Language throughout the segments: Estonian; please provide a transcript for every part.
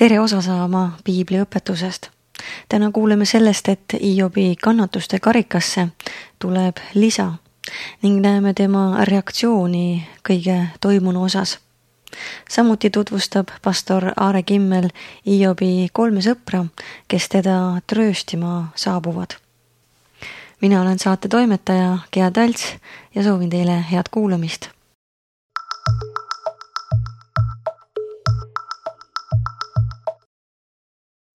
Tere osa saama Piibli õpetusest. Täna kuuleme sellest, et Hiobi kannatuste karikasse tuleb lisa ning näeme tema reaktsiooni kõige toimunu osas. Samuti tutvustab pastor Aare Kimmel Hiobi 3 sõpra, kes teda trööstima saabuvad. Mina olen saate toimetaja Gea Talts ja soovin teile head kuulamist.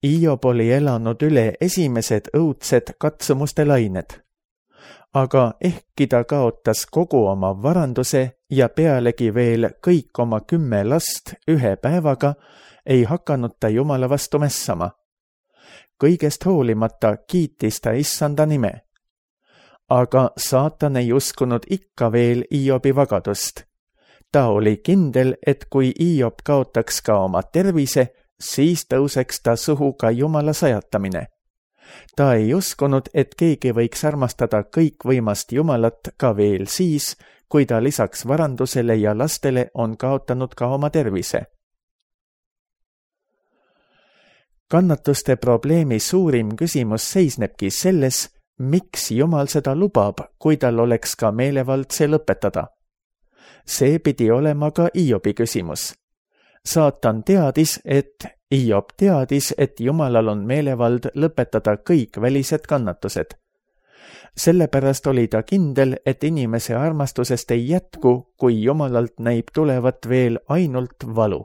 Hiob oli elanud üle esimesed õudsed katsumuste lained. Aga ehkki ta kaotas kogu oma varanduse ja pealegi veel kõik oma 10 last ühe päevaga, ei hakanud ta Jumala vastu mässama. Kõigest hoolimata kiitis ta Issanda nime. Aga saatan ei uskunud ikka veel Hiobi vagadust. Ta oli kindel, et kui Hiob kaotaks ka oma tervise, siis tõuseks ta suhu ka Jumala sajatamine. Ta ei uskunud, et keegi võiks armastada kõikvõimast Jumalat ka veel siis, kui ta lisaks varandusele ja lastele on kaotanud ka oma tervise. Kannatuste probleemi suurim küsimus seisnebki selles, miks Jumal seda lubab, kui tal oleks ka meelevald see lõpetada. See pidi olema ka Hiobi küsimus. Saatan teadis, et Hiob teadis, et Jumalal on meelevald lõpetada kõik välised kannatused. Sellepärast oli ta kindel, et inimese armastusest ei jätku, kui Jumalalt näib tulevat veel ainult valu.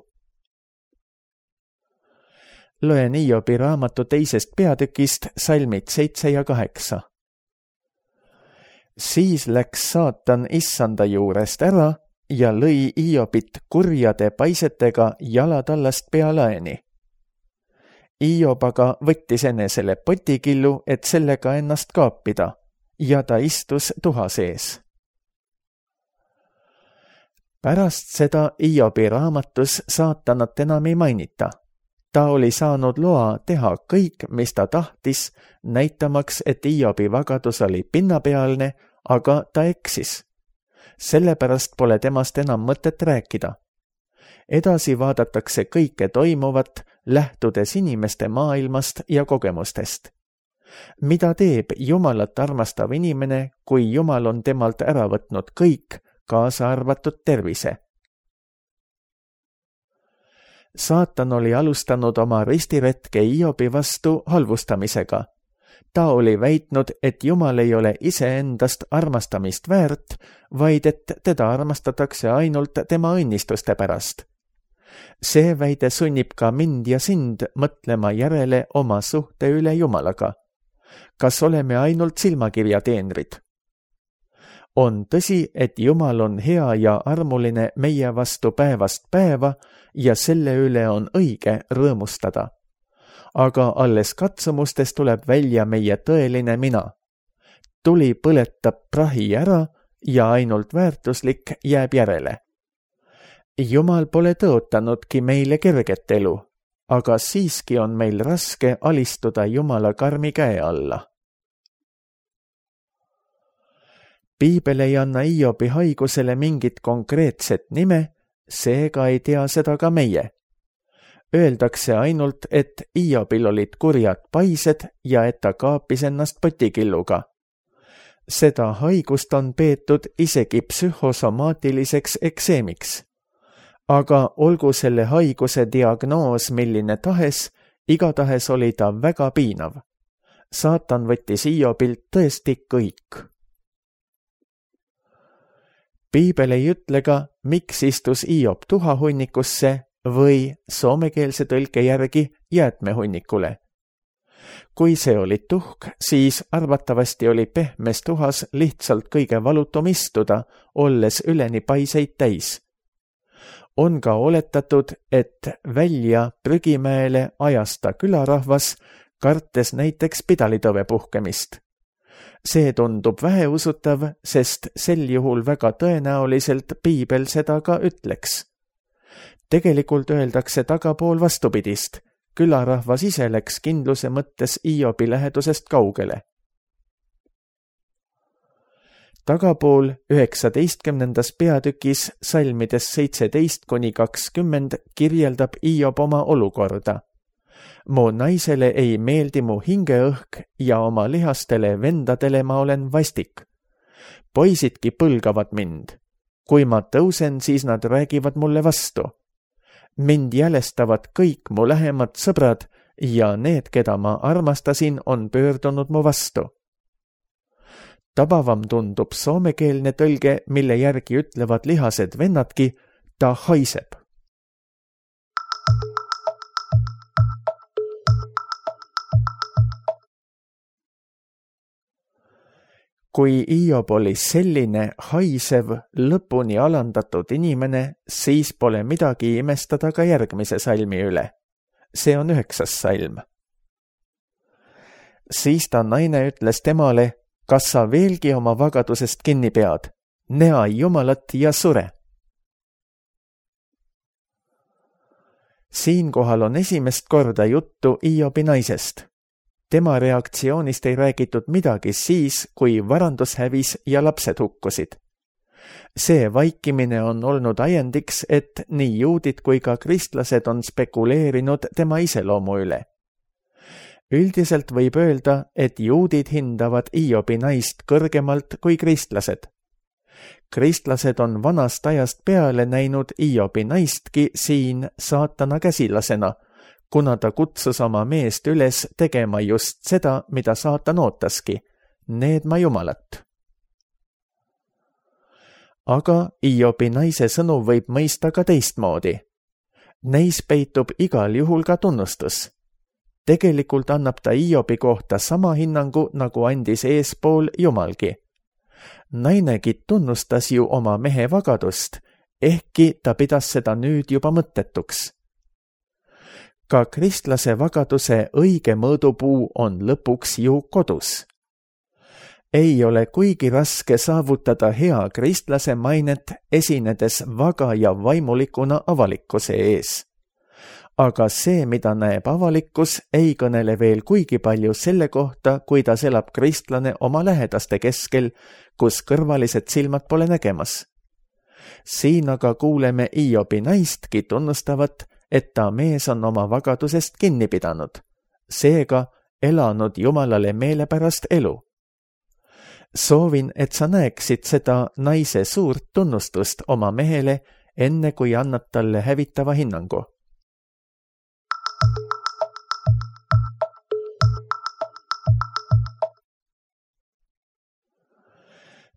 Loen Hiobi raamatu 2. peatükist salmid 7 ja 8. Siis läks saatan Issanda juurest ära ja lõi Hiobit kurjade paisetega jalatallast pealaeni. Hiob aga võttis enesele potikillu, et sellega ennast kaapida, ja ta istus tuha sees. Pärast seda Hiobi raamatus saatanat enam ei mainita. Ta oli saanud loa teha kõik, mis ta tahtis, näitamaks, et Hiobi vagadus oli pinnapealne, aga ta eksis. Sellepärast pole temast enam mõtet rääkida. Edasi vaadatakse kõike toimuvat, lähtudes inimeste maailmast ja kogemustest. Mida teeb Jumalat armastav inimene, kui Jumal on temalt ära võtnud kõik, kaasa arvatud tervise? Saatan oli alustanud oma ristiretke Hiobi vastu halvustamisega. Ta oli väitnud, et Jumal ei ole iseendast armastamist väärt, vaid et teda armastatakse ainult tema õnnistuste pärast. See väide sunnib ka mind ja sind mõtlema järele oma suhte üle Jumalaga. Kas oleme ainult silmakirja teenrid? On tõsi, et Jumal on hea ja armuline meie vastu päevast päeva ja selle üle on õige rõõmustada. Aga alles katsumustes tuleb välja meie tõeline mina. Tuli põletab prahi ära ja ainult väärtuslik jääb järele. Jumal pole tõotanudki meile kerget elu, aga siiski on meil raske alistuda Jumala karmi käe alla. Piibel ei anna Hiobi haigusele mingit konkreetset nime, seega ei tea seda ka meie. Öeldakse ainult, et Hiobil olid kurjad paised ja et ta kaapis ennast potikilluga. Seda haigust on peetud isegi psühhosomaatiliseks ekseemiks. Aga olgu selle haiguse diagnoos milline tahes, igatahes oli ta väga piinav. Saatan võttis Hiobilt tõesti kõik. Piibel ei ütle ka, miks istus Hiob tuhahunnikusse või soomekeelse tõlke järgi jäätmehunnikule. Kui see oli tuhk, siis arvatavasti oli pehmes tuhas lihtsalt kõige valutum istuda, olles üleni paiseid täis. On ka oletatud, et välja prügimäele ajas ta külarahvas, kartes näiteks pidalitõve puhkemist. See tundub väheusutav, sest sel juhul väga tõenäoliselt Piibel seda ka ütleks. Tegelikult öeldakse tagapool vastupidist. Külarahvas ise läks kindluse mõttes Hiobi lähedusest kaugele. Tagapool 19. peatükis salmides 17-20 kirjeldab Hiob oma olukorda. Mu naisele ei meeldi mu hingeõhk ja oma lihastele vendadele ma olen vastik. Poisidki põlgavad mind. Kui ma tõusen, siis nad räägivad mulle vastu. Mind jälestavad kõik mu lähemad sõbrad ja need, keda ma armastasin, on pöördunud mu vastu. Tabavam tundub soomekeelne tõlge, mille järgi ütlevad lihased vennadki, ta haiseb. Kui Hiob oli selline haisev, lõpuni alandatud inimene, siis pole midagi imestada ka järgmise salmi üle. See on 9. salm. Siis ta naine ütles temale, kas sa veelgi oma vagadusest kinni pead? Näe Jumalat ja sure. Siinkohal on esimest korda juttu Hiobi naisest. Tema reaktsioonist ei räägitud midagi siis, kui varandus hävis ja lapsed hukkusid. See vaikimine on olnud ajendiks, et nii juudid kui ka kristlased on spekuleerinud tema iseloomu üle. Üldiselt võib öelda, et juudid hindavad Hiobi naist kõrgemalt kui kristlased. Kristlased on vanast ajast peale näinud Hiobi naistki siin saatana käsilasena, kuna ta kutsus oma meest üles tegema just seda, mida saatan ootaski, needma Jumalat. Aga Hiobi naise sõnu võib mõista ka teistmoodi. Neis peitub igal juhul ka tunnustus. Tegelikult annab ta Hiobi kohta sama hinnangu, nagu andis eespool Jumalgi. Nainegi tunnustas ju oma mehe vagadust, ehkki ta pidas seda nüüd juba mõttetuks. Ka kristlase vagaduse õige mõõdupuu on lõpuks ju kodus. Ei ole kuigi raske saavutada hea kristlase mainet, esinedes vaga ja vaimulikuna avalikkuse ees. Aga see, mida näeb avalikkus, ei kõnele veel kuigi palju selle kohta, kuidas elab kristlane oma lähedaste keskel, kus kõrvalised silmad pole nägemas. Siin aga kuuleme Hiobi naistki tunnustavat, et ta mees on oma vagadusest kinni pidanud, seega elanud Jumalale meelepärast elu. Soovin, et sa näeksid seda naise suurt tunnustust oma mehele, enne kui annad talle hävitava hinnangu.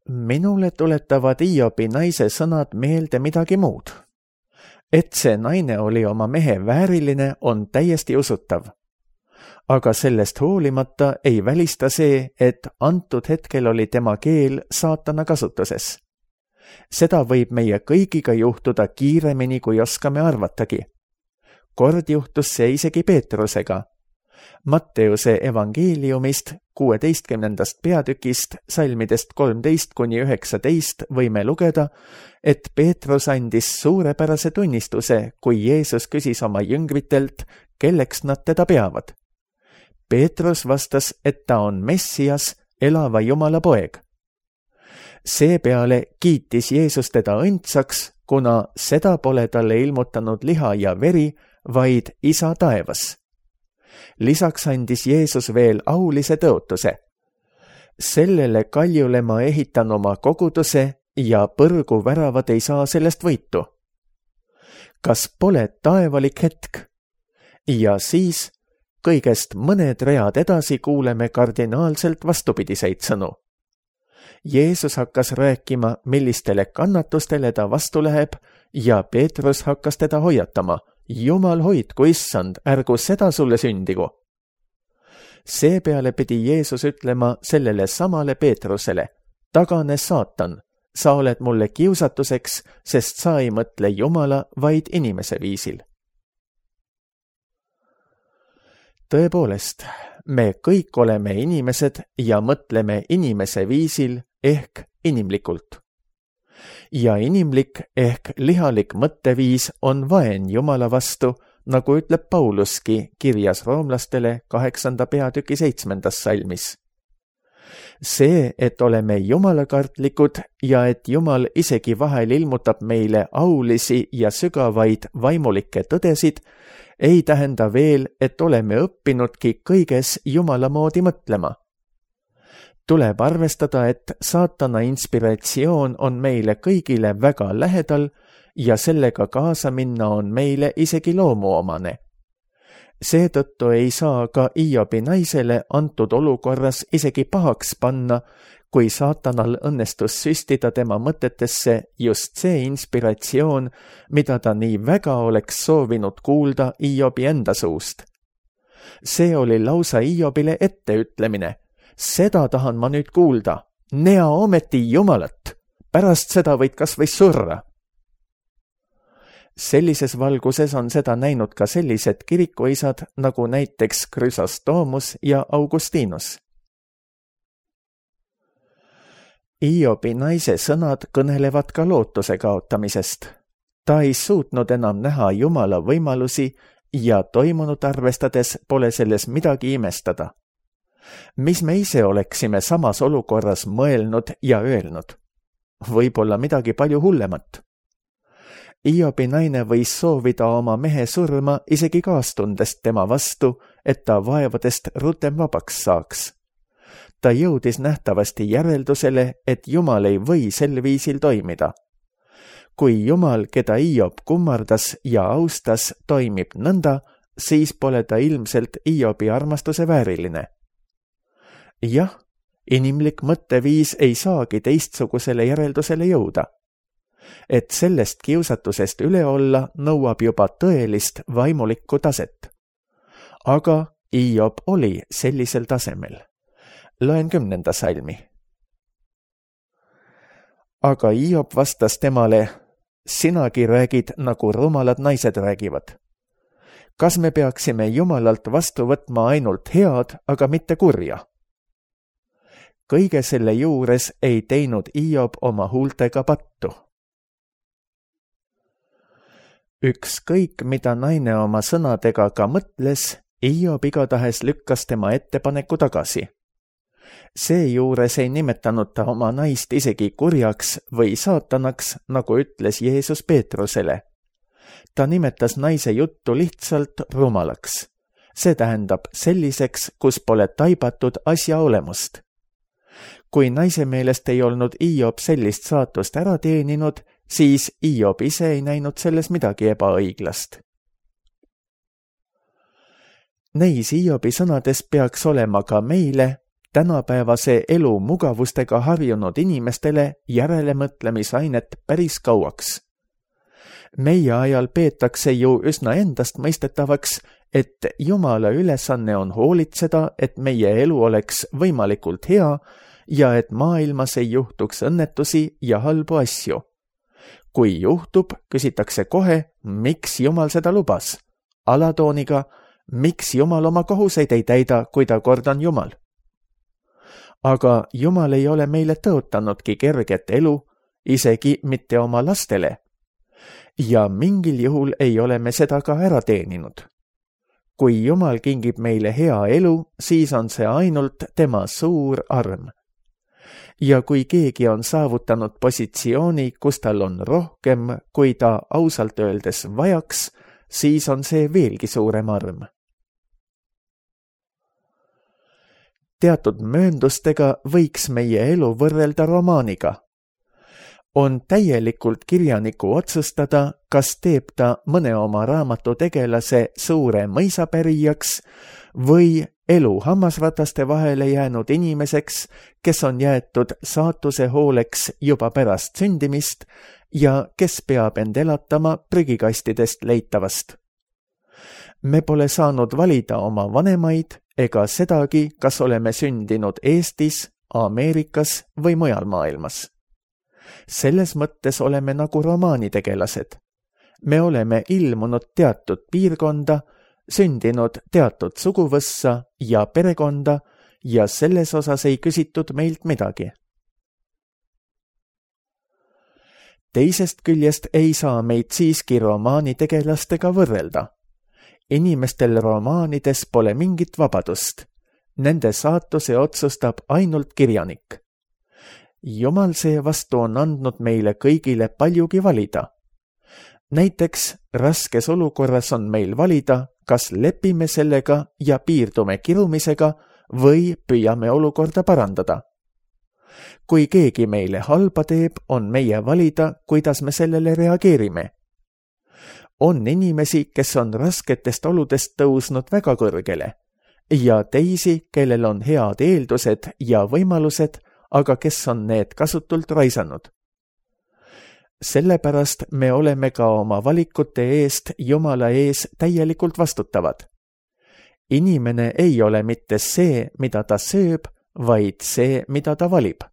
Minule tuletavad Hiobi naise sõnad meelde midagi muud. Et see naine oli oma mehe vääriline, on täiesti usutav. Aga sellest hoolimata ei välista see, et antud hetkel oli tema keel saatana kasutuses. Seda võib meie kõigiga juhtuda kiiremini, kui oskame arvatagi. Kord juhtus see isegi Peetrusega. Matteuse evangeeliumist 16. peatükist salmidest 13–19 võime lugeda, et Peetrus andis suurepärase tunnistuse, kui Jeesus küsis oma jüngritelt, kelleks nad teda peavad. Peetrus vastas, et ta on Messias, elava Jumala poeg. Seepeale kiitis Jeesus teda õndsaks, kuna seda pole talle ilmutanud liha ja veri, vaid Isa taevas. Lisaks andis Jeesus veel aulise tõotuse. Sellele kaljule ma ehitan oma koguduse ja põrgu väravad ei saa sellest võitu. Kas pole taevalik hetk? Ja siis kõigest mõned read edasi kuuleme kardinaalselt vastupidiseid sõnu. Jeesus hakkas rääkima, millistele kannatustele ta vastu läheb ja Peetrus hakkas teda hoiatama. Jumal hoidku, issand, ärgu seda sulle sündigu. Seepeale pidi Jeesus ütlema sellele samale Peetrusele, tagane saatan, sa oled mulle kiusatuseks, sest sa ei mõtle Jumala, vaid inimese viisil. Tõepoolest, me kõik oleme inimesed ja mõtleme inimese viisil ehk inimlikult. Ja inimlik ehk lihalik mõtteviis on vaen Jumala vastu, nagu ütleb Pauluski kirjas roomlastele 8. peatüki 7. salmis. See, et oleme jumalakartlikud ja et Jumal isegi vahel ilmutab meile aulisi ja sügavaid vaimulikke tõdesid, ei tähenda veel, et oleme õppinudki kõiges Jumala moodi mõtlema. Tuleb arvestada, et saatana inspiratsioon on meile kõigile väga lähedal ja sellega kaasa minna on meile isegi loomuomane. Seetõttu ei saa ka Hiobi naisele antud olukorras isegi pahaks panna, kui saatanal õnnestus süstida tema mõtetesse just see inspiratsioon, mida ta nii väga oleks soovinud kuulda Hiobi enda suust. See oli lausa Hiobile etteütlemine. Seda tahan ma nüüd kuulda. Nea ometi Jumalat. Pärast seda võid kas või surra. Sellises valguses on seda näinud ka sellised kirikuisad nagu näiteks Chrysostomos ja Augustinus. Hiobi naise sõnad kõnelevad ka lootuse kaotamisest. Ta ei suutnud enam näha Jumala võimalusi ja toimunut arvestades pole selles midagi imestada. Mis me ise oleksime samas olukorras mõelnud ja öelnud? Võib-olla midagi palju hullemat. Hiobi naine võis soovida oma mehe surma isegi kaastundest tema vastu, et ta vaevadest rutem vabaks saaks. Ta jõudis nähtavasti järeldusele, et Jumal ei või sel viisil toimida. Kui Jumal, keda Hiob kummardas ja austas, toimib nõnda, siis pole ta ilmselt Hiobi armastuse vääriline. Jah, inimlik mõtteviis ei saagi teistsugusele järeldusele jõuda. Et sellest kiusatusest üle olla nõuab juba tõelist vaimulikku taset. Aga Hiob oli sellisel tasemel. Loen 10. salmi. Aga Hiob vastas temale, sinagi räägid, nagu rumalad naised räägivad. Kas me peaksime Jumalalt vastu võtma ainult head, aga mitte kurja? Kõige selle juures ei teinud Hiob oma huultega pattu. Ükskõik, mida naine oma sõnadega ka mõtles, Hiob igatahes lükkas tema ettepaneku tagasi. Seejuures ei nimetanud ta oma naist isegi kurjaks või saatanaks, nagu ütles Jeesus Peetrusele. Ta nimetas naise juttu lihtsalt rumalaks. See tähendab selliseks, kus pole taibatud asja olemust. Kui naise meelest ei olnud Hiob sellist saatust ära teeninud, siis Hiob ise ei näinud selles midagi ebaõiglast. Neis Hiobi sõnades peaks olema ka meile, tänapäevase elu mugavustega harjunud inimestele järelemõtlemisainet päris kauaks. Meie ajal peetakse ju üsna endast mõistetavaks, et Jumala ülesanne on hoolitseda, et meie elu oleks võimalikult hea ja et maailmas ei juhtuks õnnetusi ja halbu asju. Kui juhtub, küsitakse kohe, miks Jumal seda lubas. Alatooniga, miks Jumal oma kohuseid ei täida, kui ta kord on Jumal. Aga Jumal ei ole meile tõotanudki kerget elu, isegi mitte oma lastele. Ja mingil juhul ei ole me seda ka ära teeninud. Kui Jumal kingib meile hea elu, siis on see ainult tema suur arm. Ja kui keegi on saavutanud positsiooni, kus tal on rohkem, kui ta ausalt öeldes vajaks, siis on see veelgi suurem arm. Teatud mööndustega võiks meie elu võrrelda romaaniga. On täielikult kirjaniku otsustada, kas teeb ta mõne oma raamatu tegelase suure mõisapärijaks või elu hammasrataste vahele jäänud inimeseks, kes on jäetud saatuse hooleks juba pärast sündimist ja kes peab end elatama prügikastidest leitavast. Me pole saanud valida oma vanemaid ega sedagi, kas oleme sündinud Eestis, Ameerikas või mujal maailmas. Selles mõttes oleme nagu romaanitegelased. Me oleme ilmunud teatud piirkonda, sündinud teatud suguvõssa ja perekonda ja selles osas ei küsitud meilt midagi. Teisest küljest ei saa meid siiski romaanitegelastega võrrelda. Inimestel romaanides pole mingit vabadust. Nende saatuse otsustab ainult kirjanik. Jumal seevastu on andnud meile kõigile paljugi valida. Näiteks raskes olukorras on meil valida, kas lepime sellega ja piirdume kirumisega või püüame olukorda parandada. Kui keegi meile halba teeb, on meie valida, kuidas me sellele reageerime. On inimesi, kes on rasketest oludest tõusnud väga kõrgele ja teisi, kellel on head eeldused ja võimalused, aga kes on need kasutult raisanud. Sellepärast me oleme ka oma valikute eest Jumala ees täielikult vastutavad. Inimene ei ole mitte see, mida ta sööb, vaid see, mida ta valib.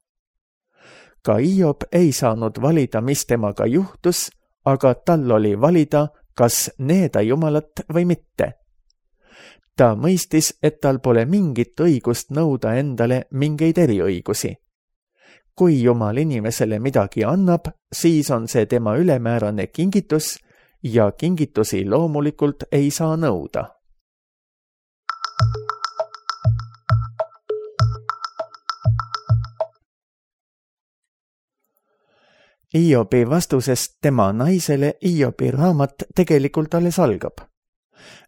Ka Hiob ei saanud valida, mis temaga juhtus, aga tal oli valida, kas needa Jumalat või mitte. Ta mõistis, et tal pole mingit õigust nõuda endale mingeid eriõigusi. Kui Jumal inimesele midagi annab, siis on see tema ülemäärane kingitus ja kingitusi loomulikult ei saa nõuda. Hiobi vastusest tema naisele Hiobi raamat tegelikult alles algab.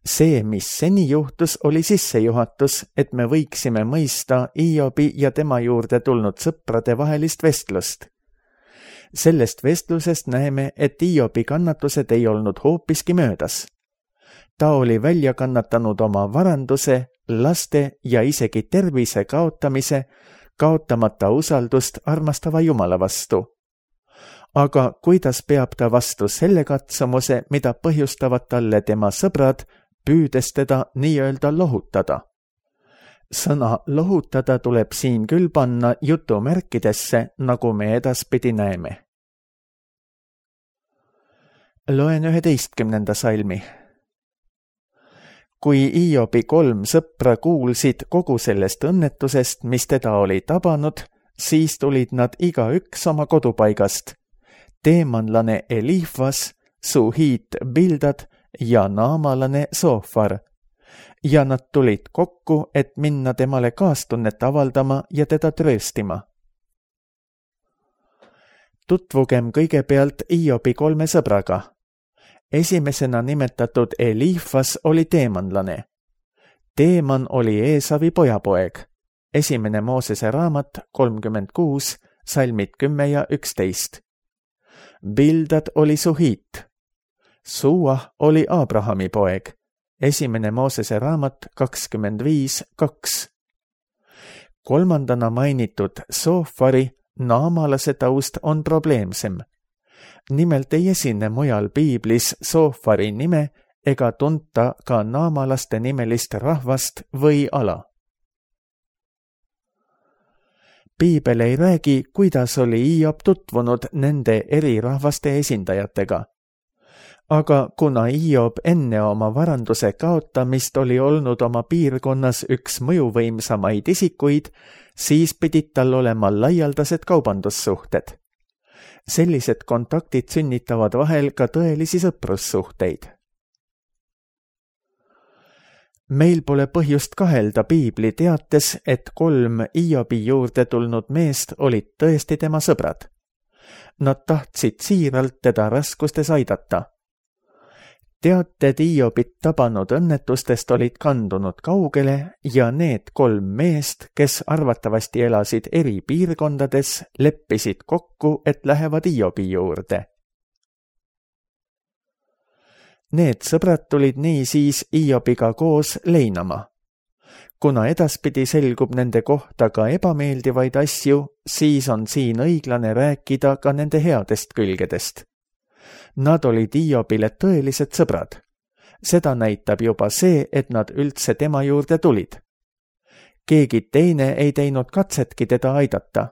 See, mis seni juhtus, oli sissejuhatus, et me võiksime mõista Hiobi ja tema juurde tulnud sõprade vahelist vestlust. Sellest vestlusest näeme, et Hiobi kannatused ei olnud hoopiski möödas. Ta oli välja kannatanud oma varanduse, laste ja isegi tervise kaotamise, kaotamata usaldust armastava Jumala vastu. Aga kuidas peab ta vastu selle katsumuse, mida põhjustavad talle tema sõbrad, püüdes teda nii-öelda lohutada? Sõna lohutada tuleb siin küll panna jutumärkidesse, nagu me edaspidi näeme. Loen 11. salmi. Kui Hiobi 3 sõpra kuulsid kogu sellest õnnetusest, mis teda oli tabanud, siis tulid nad igaüks oma kodupaigast. Teemanlane Elifas, Suhiit Bildad ja naamalane Soofar. Ja nad tulid kokku, et minna temale kaastunnet avaldama ja teda trööstima. Tutvugem kõigepealt Hiobi 3 sõbraga. Esimesena nimetatud Elifas oli teemanlane. Teeman oli Eesavi pojapoeg. 1. Moosese raamat 36, salmid 10 ja 11. Bildad oli Suhiit. Suah oli Abrahami poeg. 1. Moosese raamat 25.2. Kolmandana mainitud Soofari naamalase taust on probleemsem. Nimelt ei esine mujal piiblis Soofari nime ega tunta ka naamalaste nimelist rahvast või ala. Piibel ei räägi, kuidas oli Hiob tutvunud nende eri rahvaste esindajatega. Aga kuna Hiob enne oma varanduse kaotamist oli olnud oma piirkonnas üks mõjuvõimsamaid isikuid, siis pidid tal olema laialdased kaubandussuhted. Sellised kontaktid sünnitavad vahel ka tõelisi sõprussuhteid. Meil pole põhjust kahelda piibli teates, et 3 Hiobi juurde tulnud meest olid tõesti tema sõbrad. Nad tahtsid siiralt teda raskustes aidata. Teated Hiobit tabanud õnnetustest olid kandunud kaugele ja need 3 meest, kes arvatavasti elasid eri piirkondades, leppisid kokku, et lähevad Hiobi juurde. Need sõbrad tulid niisiis Hiobiga koos leinama. Kuna edaspidi selgub nende kohta ka ebameeldivaid asju, siis on siin õiglane rääkida ka nende headest külgedest. Nad olid Hiobile tõelised sõbrad. Seda näitab juba see, et nad üldse tema juurde tulid. Keegi teine ei teinud katsetki teda aidata.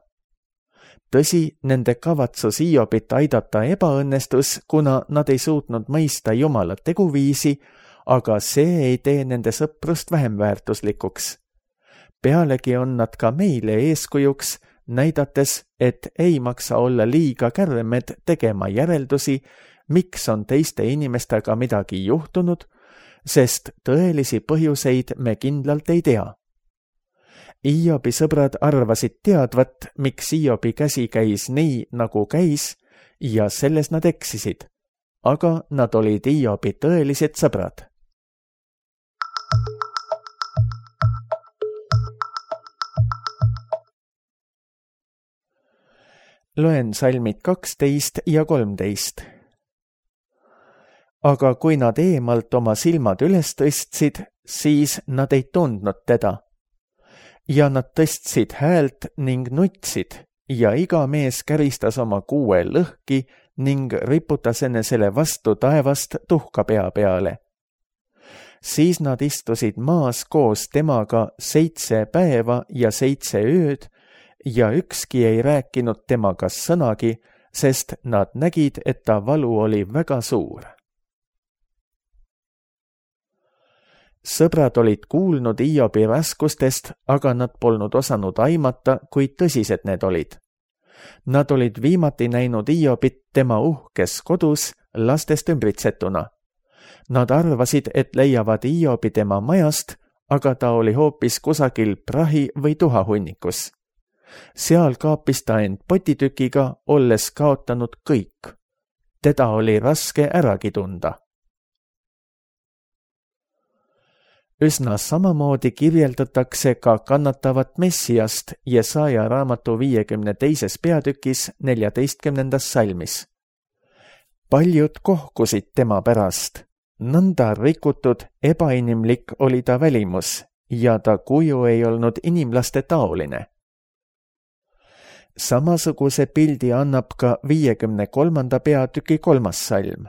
Tõsi, nende kavatsus Hiobit aidata ebaõnnestus, kuna nad ei suutnud mõista Jumala teguviisi, aga see ei tee nende sõprust vähem väärtuslikuks. Pealegi on nad ka meile eeskujuks, näidates, et ei maksa olla liiga kärmed tegema järeldusi, miks on teiste inimestega midagi juhtunud, sest tõelisi põhjuseid me kindlalt ei tea. Iobi sõbrad arvasid teadvat, miks Iobi käsi käis nii, nagu käis, ja selles nad eksisid, aga nad olid Iobi tõelised sõbrad. Loen salmid 12 ja 13. Aga kui nad eemalt oma silmad üles tõstsid, siis nad ei tundnud teda. Ja nad tõstsid häält ning nutsid ja iga mees käristas oma kuue lõhki ning riputas enesele vastu taevast tuhka pea peale. Siis nad istusid maas koos temaga 7 päeva ja 7 ööd ja ükski ei rääkinud temaga sõnagi, sest nad nägid, et ta valu oli väga suur. Sõbrad olid kuulnud Iobi raskustest, aga nad polnud osanud aimata, kui tõsised need olid. Nad olid viimati näinud Iobit tema uhkes kodus lastest ümbritsetuna. Nad arvasid, et leiavad Iobi tema majast, aga ta oli hoopis kusagil prahi või tuhahunnikus. Seal kaapis ta end potitükiga, olles kaotanud kõik. Teda oli raske äragi tunda. Üsna samamoodi kirjeldatakse ka kannatavat Messiast Jesaja raamatu 52. peatükis 14. salmis. Paljud kohkusid tema pärast. Nõnda rikutud, ebainimlik oli ta välimus ja ta kuju ei olnud inimlaste taoline. Samasuguse pildi annab ka 53. peatüki 3. salm.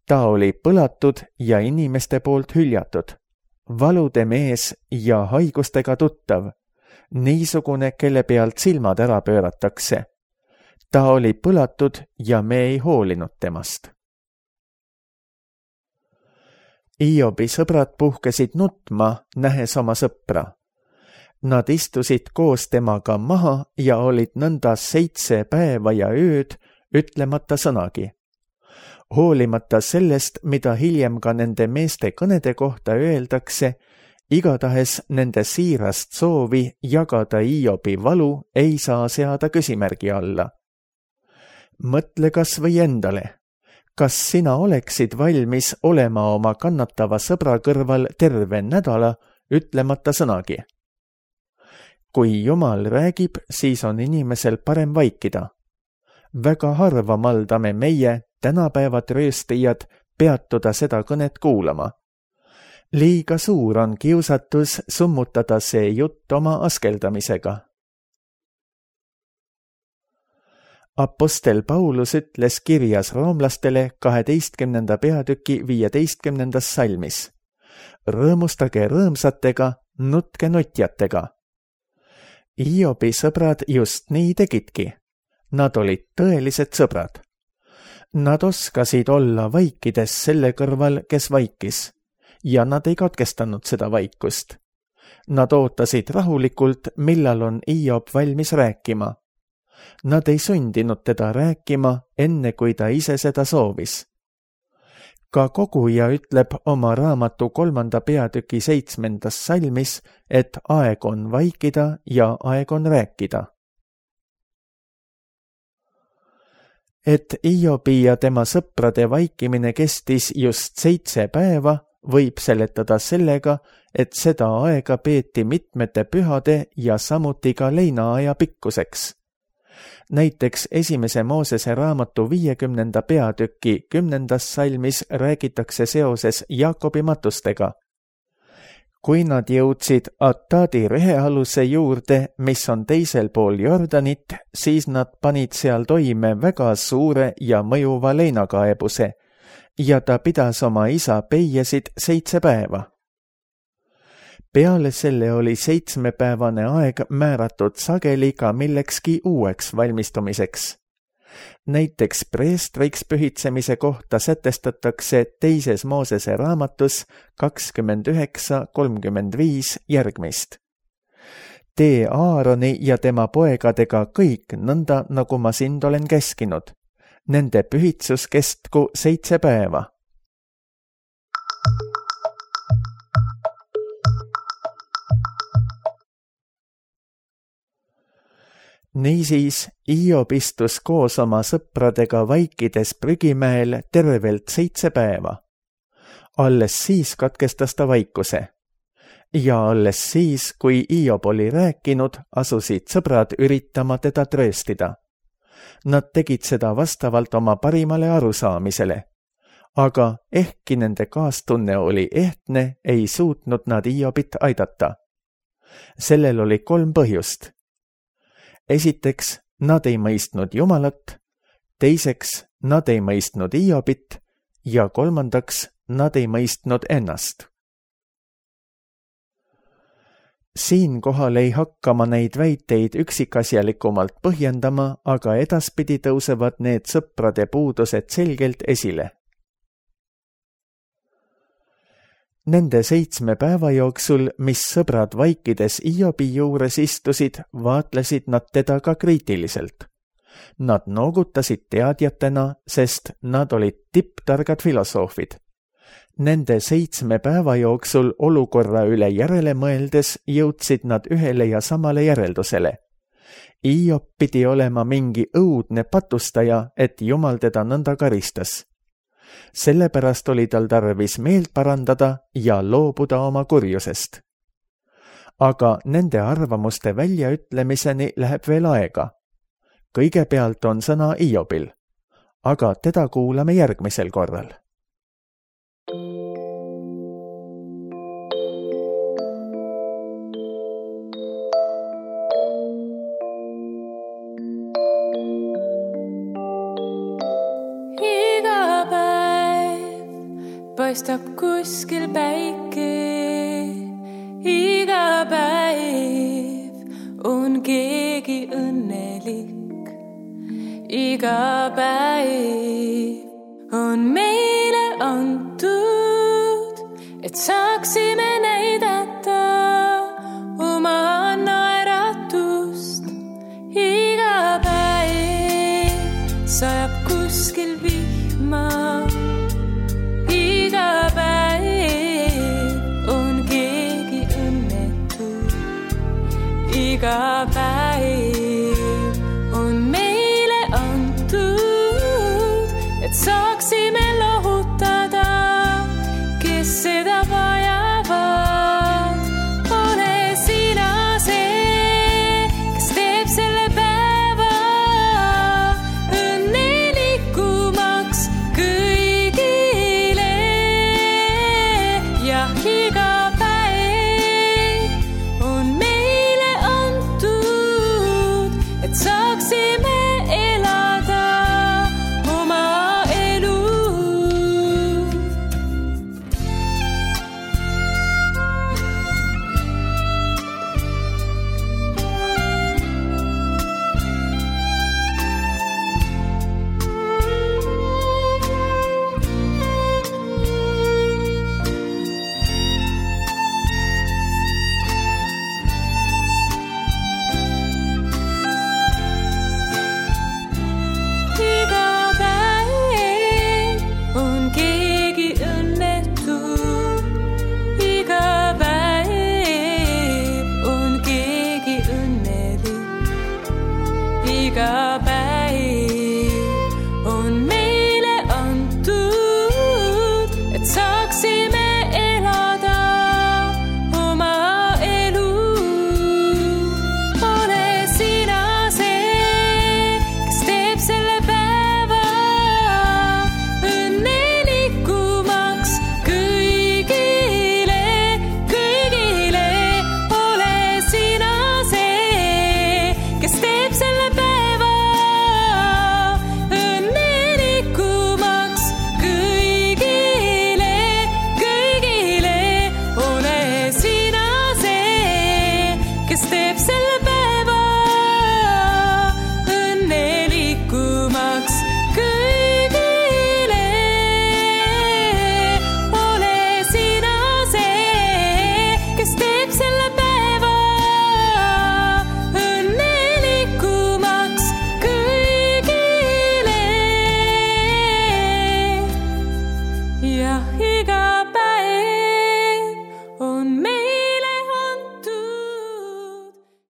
Ta oli põlatud ja inimeste poolt hüljatud, valude mees ja haigustega tuttav, niisugune, kelle pealt silmad ära pööratakse. Ta oli põlatud ja me ei hoolinud temast. Iobi sõbrad puhkesid nutma, nähes oma sõpra. Nad istusid koos temaga maha ja olid nõnda 7 päeva ja ööd, ütlemata sõnagi. Hoolimata sellest, mida hiljem ka nende meeste kõnede kohta öeldakse, igatahes nende siirast soovi jagada Iobi valu ei saa seada küsimärgi alla. Mõtle kas või endale. Kas sina oleksid valmis olema oma kannatava sõbra kõrval terve nädala, ütlemata sõnagi? Kui Jumal räägib, siis on inimesel parem vaikida. Väga harva maldame meie, tänapäevad rööstijad, peatuda seda kõnet kuulama. Liiga suur on kiusatus summutada see jutt oma askeldamisega. Apostel Paulus ütles kirjas roomlastele 12. peatüki 15. salmis. Rõõmustage rõõmsatega, nutke nutjatega. Iobi sõbrad just nii tegidki. Nad olid tõelised sõbrad. Nad oskasid olla vaikides selle kõrval, kes vaikis, ja nad ei katkestanud seda vaikust. Nad ootasid rahulikult, millal on Iob valmis rääkima. Nad ei sundinud teda rääkima, enne kui ta ise seda soovis. Ka koguja ütleb oma raamatu 3. peatüki 7. salmis, et aeg on vaikida ja aeg on rääkida. Et Iobi ja tema sõprade vaikimine kestis just 7 päeva, võib seletada sellega, et seda aega peeti mitmete pühade ja samuti ka leinaaja pikkuseks. Näiteks 1. Moosese raamatu 50. peatüki 10. salmis räägitakse seoses Jaakobi matustega. Kui nad jõudsid Atadi rehealuse juurde, mis on teisel pool Jordanit, siis nad panid seal toime väga suure ja mõjuva leinakaebuse ja ta pidas oma isa peiesid 7 päeva. Peale selle oli 7-päevane aeg määratud sageli ka millekski uueks valmistumiseks. Näiteks preestriks pühitsemise kohta sätestatakse 2. Moosese raamatus 29:35 järgmist. Tee Aaroni ja tema poegadega kõik nõnda, nagu ma sind olen käskinud. Nende pühitsus kestku 7 päeva. Niisiis Hiob istus koos oma sõpradega vaikides prügimäel tervelt 7 päeva. Alles siis katkestas ta vaikuse. Ja alles siis, kui Hiob oli rääkinud, asusid sõbrad üritama teda trööstida. Nad tegid seda vastavalt oma parimale arusaamisele. Aga ehkki nende kaastunne oli ehtne, ei suutnud nad Hiobit aidata. Sellel oli 3 põhjust. Esiteks, nad ei mõistnud Jumalat, teiseks, nad ei mõistnud Hiobit ja 3, nad ei mõistnud ennast. Siinkohal ei hakka ma neid väiteid üksikasjalikumalt põhjendama, aga edaspidi tõusevad need sõprade puudused selgelt esile. Nende 7 päeva jooksul, mis sõbrad vaikides Hiobi juures istusid, vaatlesid nad teda ka kriitiliselt. Nad noogutasid teadjatena, sest nad olid tipptargad filosoofid. Nende 7 päeva jooksul olukorra üle järele mõeldes jõudsid nad ühele ja samale järeldusele. Hiob pidi olema mingi õudne patustaja, et Jumal teda nõnda karistas. Sellepärast oli tal tarvis meelt parandada ja loobuda oma kurjusest. Aga nende arvamuste väljaütlemiseni läheb veel aega. Kõigepealt on sõna Hiobil, aga teda kuulame järgmisel korral. Paistab kuskil päike, iga päev on keegi õnnelik. Iga päev on meile antud, et saaksime näidata oma naeratust. Iga päev sajab kuskil vihma. Iga päev on keegi õnnetu. Iga päev on meile antud, et saaksime lohutada, kes seda vajavad. Ole sina see, kes teeb selle päeva õnnelikumaks kõigile. Ja iga päev on meile antud, et saaksime elada oma elu. Iga päev on keegi õnnetu. Iga päev on keegi õnnelik. Iga päev on meile antud, et saaksime elada oma elu. Ole sina see, kes teeb selle päeva õnnelikumaks kõigile, kõigile. Ole sina see, kes teeb selle päeva õnnelikumaks kõigile, kõigile. Ole sina see, kes teeb selle